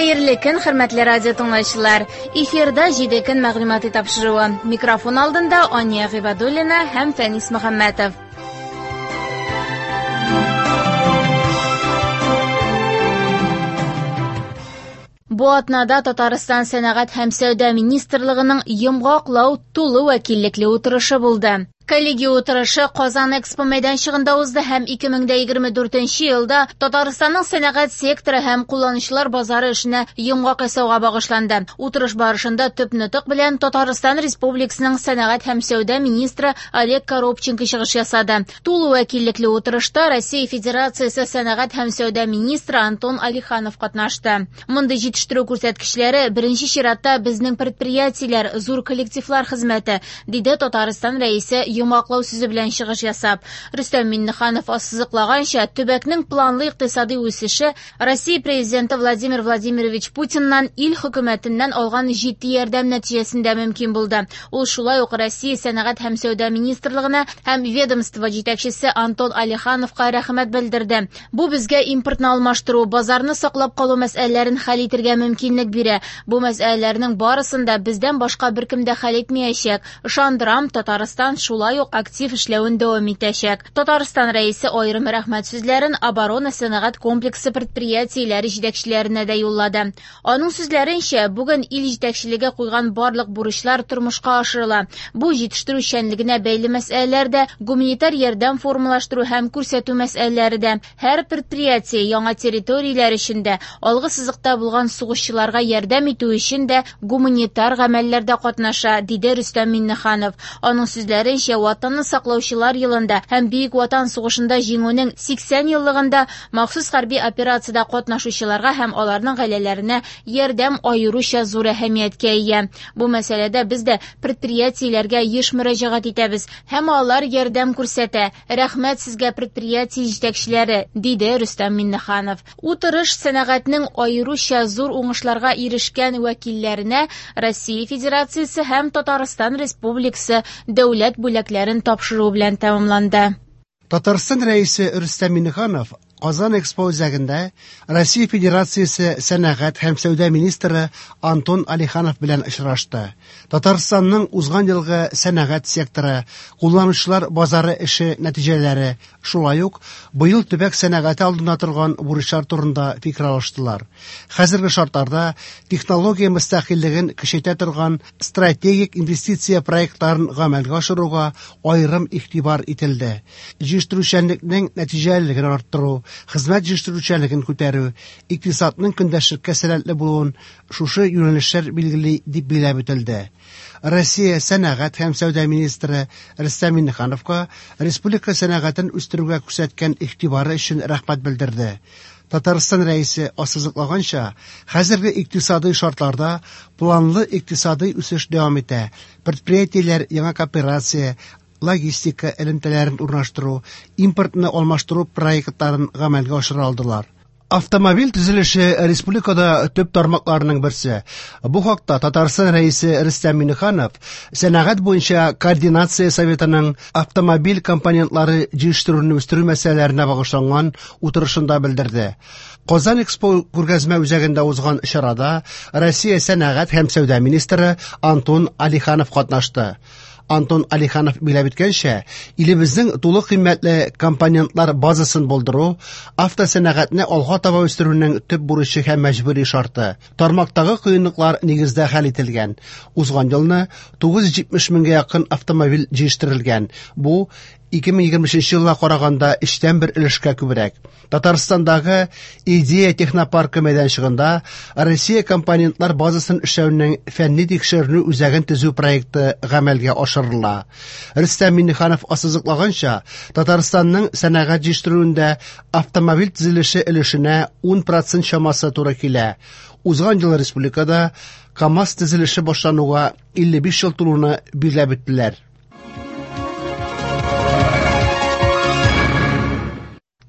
Хәерле көн, хөрмәтле радио тыңлаучылар. Эфирда 7 көн мәгълүмати тапшыруы. Микрофон алдында Ания Гыйбадуллина һәм Фәнис Мөхәммәтов. Бу атнада Татарстан сәнәгать һәм сәүдә министрлыгының йомгаклау тулы вәкиллекле утырышы булды. Коллегия утырышы Казан Экспо мәйданчыгында узды һәм 2024 елда Татарстанның сәнәгать секторы һәм кулланучылар базары эшенә йомгак ясауга багышланды. Утырыш барышында төп нотык белән Татарстан Республикасының сәнәгать һәм сәүдә министры Олег Коробченко чыгыш ясады. Тулы вәкиллекле утырышта Россия Федерациясе сәнәгать һәм сәүдә министры Антон Алиханов катнашты. Мондый җитештерү күрсәткечләре беренче чиратта безнең предприятиеләр, зур коллективлар хезмәте, диде Татарстан Рәисе йомгаклау сүзе белән чыгыш ясап. Рөстәм Миңнеханов ассызыклаганча, төбәкнең планлы икътисади үсеше Россия Президенты Владимир Владимирович Путиннан ил хөкүмәтеннән алган җитди ярдәм нәтиҗәсендә мөмкин булды. Ул шулай ук Россия сәнәгать һәм сәүдә министрлыгына һәм ведомство җитәкчесе Антон Алихановка рәхмәт белдерде. Бу безгә импортны алмаштыру, базарны саклап калу мәсьәләләрен хәл итергә мөмкинлек бирә. Бу мәсьәләләрнең барысын да бездән башка беркем дә хәл итмәячәк. Ышандырам, Татарстан шулай ук актив эшләвен дәвам итәчәк. Татарстан Рәисе аерым рәхмәт сүзләрен оборона-сәнәгать комплексы предприятиеләре җитәкчеләренә дә юллады. Аның сүзләренчә, бүген ил җитәкчелеге куйган барлык бурычлар тормышка ашырыла. Бу җитештерүчәнлегенә бәйле мәсьәләләр дә, гуманитар ярдәм формалаштыру һәм күрсәтү мәсьәләләре дә. Һәр предприятие яңа территорияләр өчен дә, алгы сызыкта булган сугышчыларга ярдәм итү өчен дә гуманитар гамәлләрдә катнаша, диде Рөстәм Миңнеханов. Аның сүзләренчә, Ватанны саклаучылар елында һәм Бөек Ватан сугышында җиңүнең 80 еллыгында махсус хәрби операциядә катнашучыларга һәм аларның гаиләләренә ярдәм аеруча зур әһәмияткә ия. Бу мәсьәләдә без дә предприятиеләргә еш мөрәҗәгать итәбез һәм алар ярдәм күрсәтә. Рәхмәт сезгә, предприятие җитәкчеләре, диде Рөстәм Миңнеханов. Утырыш сәнәгатьнең аеруча зур уңышларга ирешкән вәкилләренә Россия Федерациясе һәм Татарстан Республикасы дәүләт бүләкләрен тапшыру белән тәмамланды. Татарстан Рәисе Рөстәм Миңнеханов Казан Экспо үзәгендә Россия Федерациясе сәнәгать һәм сәүдә министры Антон Алиханов белән очрашты. Татарстанның узган елгы сәнәгать секторы, кулланучылар базары эше нәтиҗәләре, шулай ук быел төбәк сәнәгате алдында торган бурычлар турында фикер алыштылар. Хәзерге шартларда технология мөстәкыйльлеген көчәйтә торган стратегик инвестиция проектларын гамәлгә ашыруга аерым игътибар ителде. Җитештерүчәнлекнең нәтиҗәлелеген арттыру, хезмәт җитештерүчәнлеген күтәрү, икътисадның көндәшлеккә сәләтле булуын шушы юнәлешләр билгели, дип билгеләп үтелде. Россия сәнәгать һәм сәүдә министры Рөстәм Миңнехановка республика сәнәгатен үстерүгә күрсәткән игътибары өчен рәхмәт белдерде. Татарстан Рәисе ассызыклаганча, хәзерге икътисадый шартларда планлы икътисадый үсеш дәвам итә, предприятиеләр яңа кооперация, логистика элемтәләрен урнаштыру, импортны алмаштыру проектларын гамәлгә ашыра алдылар. Автомобиль төзелеше республикада төп тармакларының берсе. Бу хакта Татарстан Рәисе Рөстәм Миңнеханов сәнәгать буенча координация советының автомобиль компонентлары җитештерүне үстерү мәсьәләләренә багышланган утырышында белдерде. Казан Экспо күргәзмә үзәгендә узган чарада Россия сәнәгать һәм сәүдә министры Антон Алиханов катнашты. Антон Алиханов билгеләп үткәнчә, илебезнең тулы кыйммәтле компонентлар базасын булдыру автосәнәгатьне алга таба үстерүнең төп бурычы һәм мәҗбүри шарты. Тармактагы кыенлыклар нигездә хәл ителгән. Узган елны 970 меңгә якын автомобиль җитештерелгән. Бу 2023 елга караганда өчтән бер өлешкә күбрәк. Татарстандагы Идея технопаркы мәйданчыгында Россия компонентлар базасын эшләүнең фәнни тикшеренү үзәген төзү проекты гамәлгә ашырыла. Рөстәм Миңнеханов ассызыклаганча, Татарстанның сәнәгать җитештерүендә автомобиль төзелеше өлешенә 10% чамасы туры килә. Узган ел республикада КАМАЗ төзелеше башлануга 55 ел тулуны билгеләп үттеләр.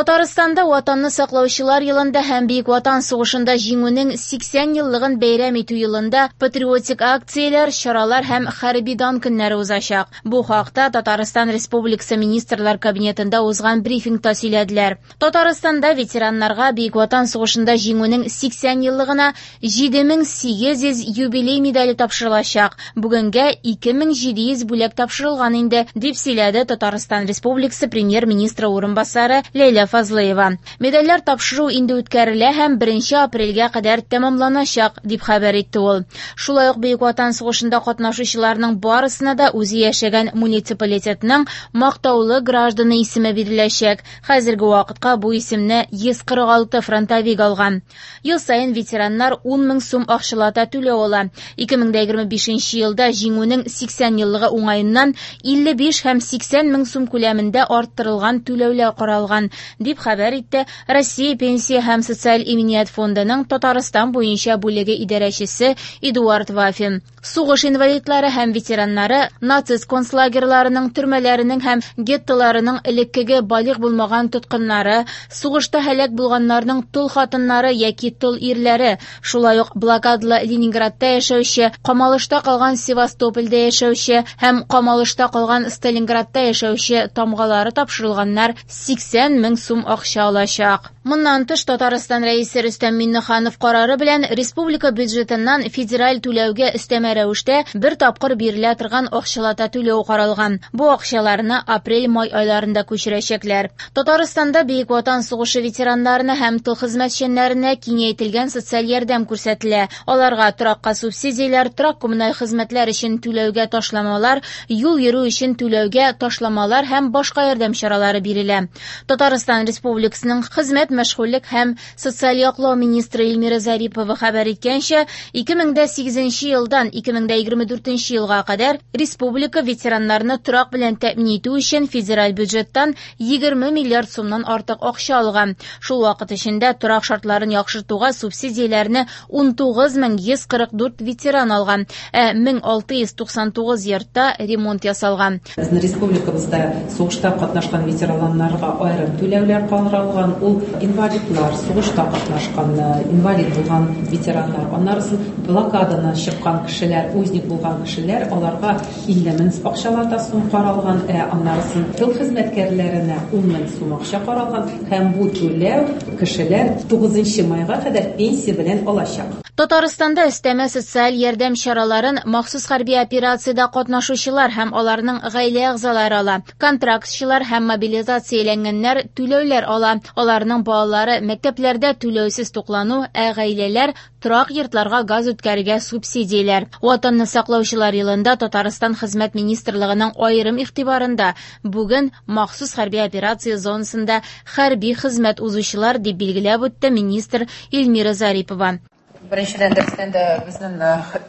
Татарстанда Ватанны саклаучылар елында һәм Бөек Ватан сугышында җиңүнең 80 еллыгын бәйрәм итү елында патриотик акцияләр, чаралар һәм хәрби дан көннәре узачак. Бу хакта Татарстан Республикасы Министрлар Кабинетында узган брифингта сөйләделәр. Татарстанда ветераннарга Бөек Ватан сугышында җиңүнең 80 еллыгына 7800 юбилей медале тапшырылачак. Бүгенгә 2700 бүләк тапшырылган инде, дип сөйләде Татарстан Республикасы премьер-министры урынбасары Ләйлә Фазлыева. Медальләр тапшыру инде үткәрелә һәм 1 апрельгә кадәр тәмамланачак, дип хәбәр итте ул. Шулай ук Бөек Ватан сугышында катнашучыларның барысына да үзе яшәгән муниципалитетның мактаулы гражданы исеме биреләчәк. Хәзерге вакытка бу исемне 146 фронтовик алган. Ел саен ветераннар 10 мең сум акчалата түләү ала. 2025 елда җиңүнең 80 еллыгы уңаеннан 55 һәм 80 мең сум күләмендә арттырылган түләүләр каралган, дип хәбәр итте Россия Пенсия һәм социаль иминият фондының Татарстан буенча бүлеге идарәчесе Эдуард Вафин. Сугыш инвалидлары һәм ветераннары, нацист концлагерьларының, төрмәләренең һәм геттоларының элеккеге балигъ булмаган тоткыннары, сугышта һәлак булганнарның тол хатыннары яки тол ирләре, шулай ук блокадалы Ленинградта яшәүче, камалышта калган Севастопольдә яшәүче һәм камалышта калган Сталинградта яшәүче тамгалары тапшырылганнар 80 мең сум акча алачак. Моннан тыш, Татарстан Рәисе Рөстәм Миңнеханов карары белән республика бюджетыннан федераль түләүгә өстәмә рәвештә бер тапкыр бирелә торган акчалата түләү каралган. Бу акчаларны апрель-май айларында күчерәчәкләр. Татарстанда Бөек Ватан сугышы ветераннарына һәм тыл хезмәтчәннәренә киңәйтелгән социаль ярдәм күрсәтелә. Аларга торакка субсидияләр, торак коммуналь хезмәтләр өчен түләүгә ташламалар, юл йөрү өчен түләүгә ташламалар һәм башка ярдәм чаралары бирелә. Татарстан Республикасының хезмәт, мәшгульлек һәм социаль яклау министры Эльмира Зарипова хәбәр иткәнчә, 2008 елдан 2024 елга кадәр республика ветераннарны торак белән тәэмин итү өчен федераль бюджеттан 20 миллиард сумнан артык акча алган. Шул вакыт эчендә торак шартларын яхшыртуга субсидияләрне 19144 ветеран алган, ә 1699 йортта ремонт ясалган. Безнең республикабызда сугышта катнашкан ветераннарга аерым түләүләр каралган. Ул инвалидлар, сугышта катнашкан, инвалид булган ветераннар, аннары блокададан чыккан кешеләр, узник булган кешеләр, аларга 50 мең акчалата сум каралган, ә аннары тыл хезмәткәрләренә 10 мең сум акча каралган һәм бу түләү кешеләр 9 майга кадәр пенсия белән алачак. Татарстанда өстәмә социаль ярдәм чараларын махсус хәрби операциядә катнашучылар һәм аларның гаилә әгъзалары ала. Контрактчылар һәм мобилизацияләнгәннәр түләүләр ала. Аларның балалары мәктәпләрдә түләүсез туклану, ә гаиләләр торак йортларга газ үткәрергә субсидияләр. Ватанны саклаучылар елында Татарстан Хезмәт министрлыгының аерым игътибарында бүген махсус хәрби операция зонасында хәрби хезмәт узучылар, дип билгеләп үтте министр Эльмира Зарипова. Беренчедән, дөрестән дә безнең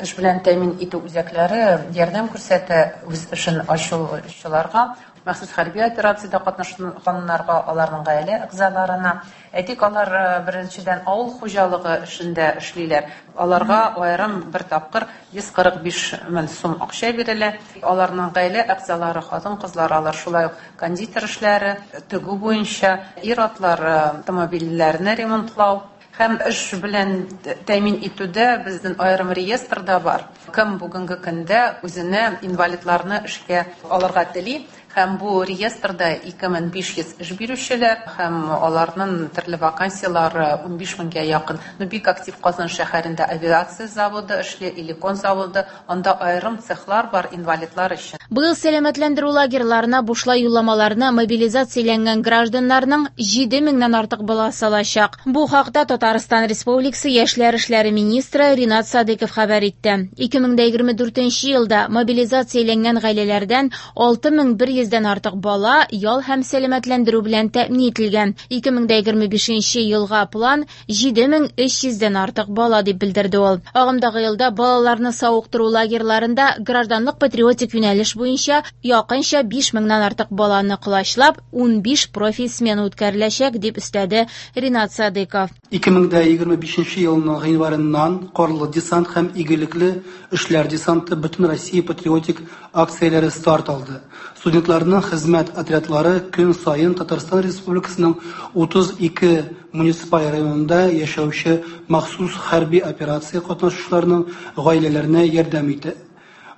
эш белән тәэмин итү үзәкләре ярдәм күрсәтә үз эшен ачучыларга, махсус хәрби операциядә катнашканнарга, аларның гаилә әгъзаларына. Әйтик, алар беренчедән авыл хуҗалыгы эшендә эшлиләр. Аларга аерым бер тапкыр 145 мең сум акча бирелә. Аларның гаилә әгъзалары, хатын-кызлар, алар шулай ук кондитер эшләре, тегү буенча, ир-атлар автомобильләрне ремонтлау. Һәм эш белән тәэмин итүдә безнең аерым реестр да бар. Кем бүгенге көндә үзенә инвалидларны эшкә алырга тели, һәм бу реестрда 2500 эш бирүчеләр һәм аларның төрле вакансиялары 15 меңгә якын. Ну, бик актив Казан шәһәрендә авиация заводы эшли, Иликон заводы, анда аерым цехлар бар инвалидлар өчен. Быел сәламәтләндерү лагерьларына бушлай юлламаларны мобилизацияләнгән гражданнарның 7 меңнән артык баласы алачак. Бу хакта Татарстан Республикасы Яшьләр эшләре министры Ринат Садыков хәбәр итте. 2024 елда мобилизацияләнгән гаиләләрдән 6100-дән артык бала ял һәм сәламәтләндерү белән тәэмин ителгән. 2025 елга план 7300-дән артык бала дип белдерде ул. Агымдагы елда балаларны савыктыру лагерьларында гражданлык патриотик юнәлеш буенча якынча 5000-нән артык баланы колачлап 15 профиль смена үткәреләчәк, дип өстәде Ринат Садыков. 2025 елның гыйнварыннан Карлы десант һәм игелекле эшләр десанты бөтен Россия патриотик акцияләре старт алды. Студентларның хезмәт отрядлары көн саен Татарстан Республикасының 32 муниципаль районында яшәүче махсус хәрби операция катнашучыларының гаиләләренә ярдәм итә.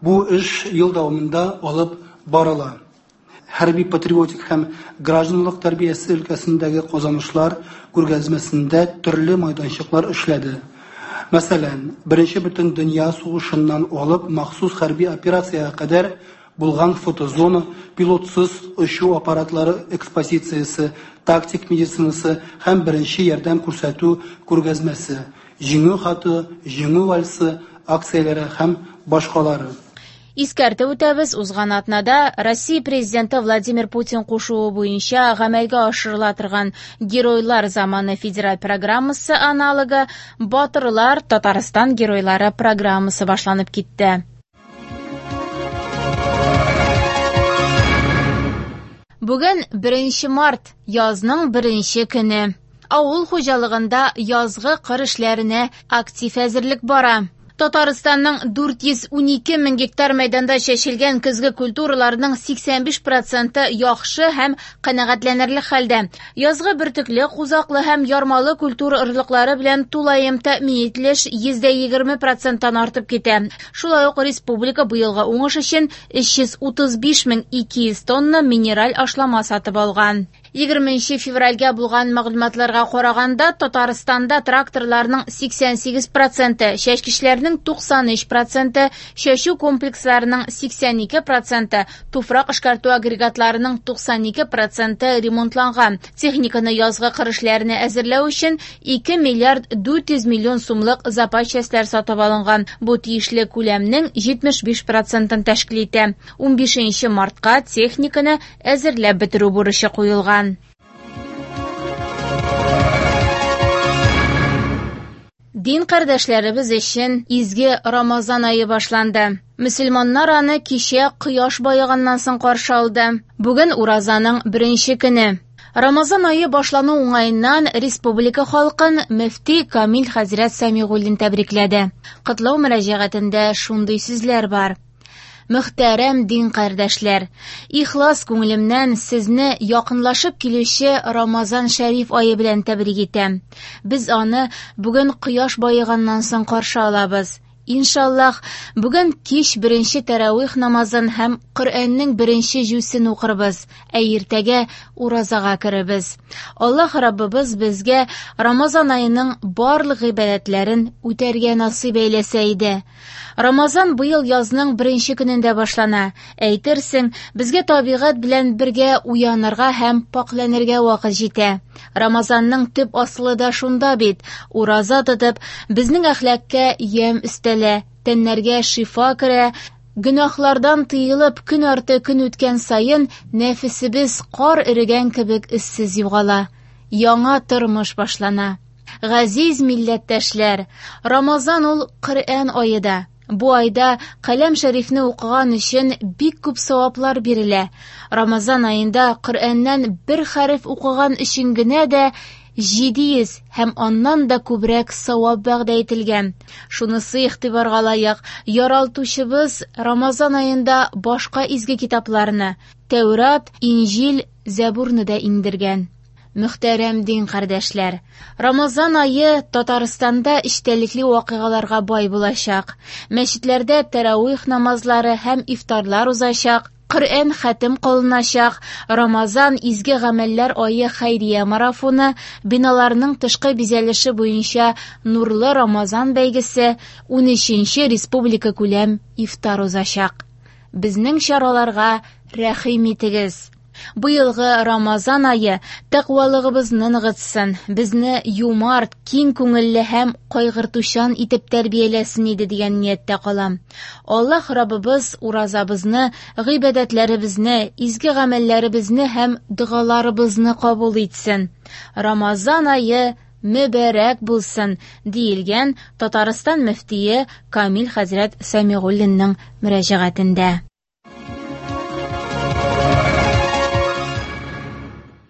Бу эш ел дәвамында алып барыла. Хәрби-патриотик һәм гражданлык тәрбиясе өлкәсендәге казанышлар күргәзмәсендә төрле майданчыклар эшләде. Мәсәлән, Беренче бөтендөнья сугышыннан алып махсус хәрби операциягә кадәр булган фотозона, пилотсыз очу аппаратлары экспозициясе, тактик медицинасы һәм беренче ярдәм күрсәтү күргәзмәсе, Җиңү хаты, Җиңү вальсы акцияләре һәм башкалары. Искәртеп үтәбез, узган атнада Россия Президенты Владимир Путин кушуы буенча гамәлгә ашырыла торган Геройлар заманы федераль программасы аналогы Батырлар Татарстан геройлары программасы башланып китте. Бүген 1 март, язның беренче көне. Авыл хуҗалыгында язгы кыр эшләренә актив әзерлек бара. Татарстанның 412 мең гектар мәйданда чәчелгән көзге культураларның 85 проценты яхшы һәм канәгатьләнерлек хәлдә. Язгы бөртекле, кузаклы һәм ярмалы культура орлыклары белән тулаем тәэмин ителеш 20 проценттан артып китә. Шулай ук республика быелгы уңыш өчен 335 мең 200 тонна минераль ашлама сатып алган. 20 февральгә булган мәгълүматларга караганда, Татарстанда тракторларның 88 проценты, чәчкечләрнең 93 проценты, чәчү комплексларының 82 проценты, туфрак эшкәртү агрегатларының 92 проценты ремонтланган. Техниканы язгы кыр эшләренә әзерләү өчен 2 миллиард 400 миллион сумлык запас частьләр сатып алынган. Бу тиешле күләмнең 75 процентын тәшкил итә. 15 мартка техниканы әзерләп бетерү бурычы куелган. Дин кардәшләребез өчен изге Рамазан ае башланды. Мөселманнар аны кичә кояш баеганнан соң каршы алды. Бүген уразаның беренче көне. Рамазан ае башлану уңаеннан республика халкын мөфти Камил хәзрәт Сәмигуллин тәбрикләде. Котлау мөрәҗәгатендә шундый сүзләр бар. Мөхтәрәм дин кардәшләр, ихлас күңелемнән сезне якынлашып килүче Рамазан шәриф ае белән тәбрик итәм. Без аны бүген кояш баеганнан соң каршы алабыз. Иншаллаһ, бүген кич беренче тәравих намазын һәм Коръәннең беренче җүзен укырбыз, ә иртәгә уразага керербез. Аллаһ Раббыбыз безгә Рамазан аеның барлык гыйбадәтләрен үтәргә насыйп әйләсә иде. Рамазан быел язның беренче көнендә башлана. Әйтерсең, безгә табигать белән бергә уянырга һәм пакьләнергә вакыт җитә. Рамазанның төп асылы да шунда бит. Ураза тотып, безнең әхлакка ямь өстәлә, тәннәргә шифа керә, гөнаһлардан тыелып, көн арты көн үткән саен нәфесебез кар эрегән кебек эзсез югала. Яңа тормыш башлана. Газиз милләттәшләр, Рамазан ул Коръән ае да. Бу айда Каләм шәрифне укыган өчен бик күп саваплар бирелә. Рамазан аенда Коръәннән бер хәреф укыган өчен генә дә 700 һәм аннан да күбрәк савап вәгъдә ителгән. Шунысы игътибарга лаек, яралтучыбыз Рамазан аенда башка изге китапларны, Тәүрат, Инҗил, Зәбурны да иңдергән. Мөхтәрәм дин кардәшләр, Рамазан ае Татарстанда эчтәлекле вакыйгаларга бай булачак. Мәчетләрдә тәравих намазлары һәм ифтарлар узачак, Коръән хәтем кылыначак, Рамазан изге гамәлләр ае хәйрия марафоны, биналарның тышкы бизәлеше буенча Нурлы Рамазан бәйгесе, 13нче республика күләм ифтар узачак. Безнең чараларга рәхим итегез. Быелгы Рамазан ае тәкъвалыгыбызны ныгытсын, безне юмарт, киң күңелле һәм кайгыртучан итеп тәрбияләсен иде дигән нияттә калам. Аллаһ Раббыбыз уразабызны, гыйбадәтләребезне, изге гамәлләребезне һәм догаларыбызны кабул итсен. Рамазан ае мөбарәк булсын, диелгән Татарстан мөфтие Камил хәзрәт Сәмигуллинның мөрәҗәгатендә.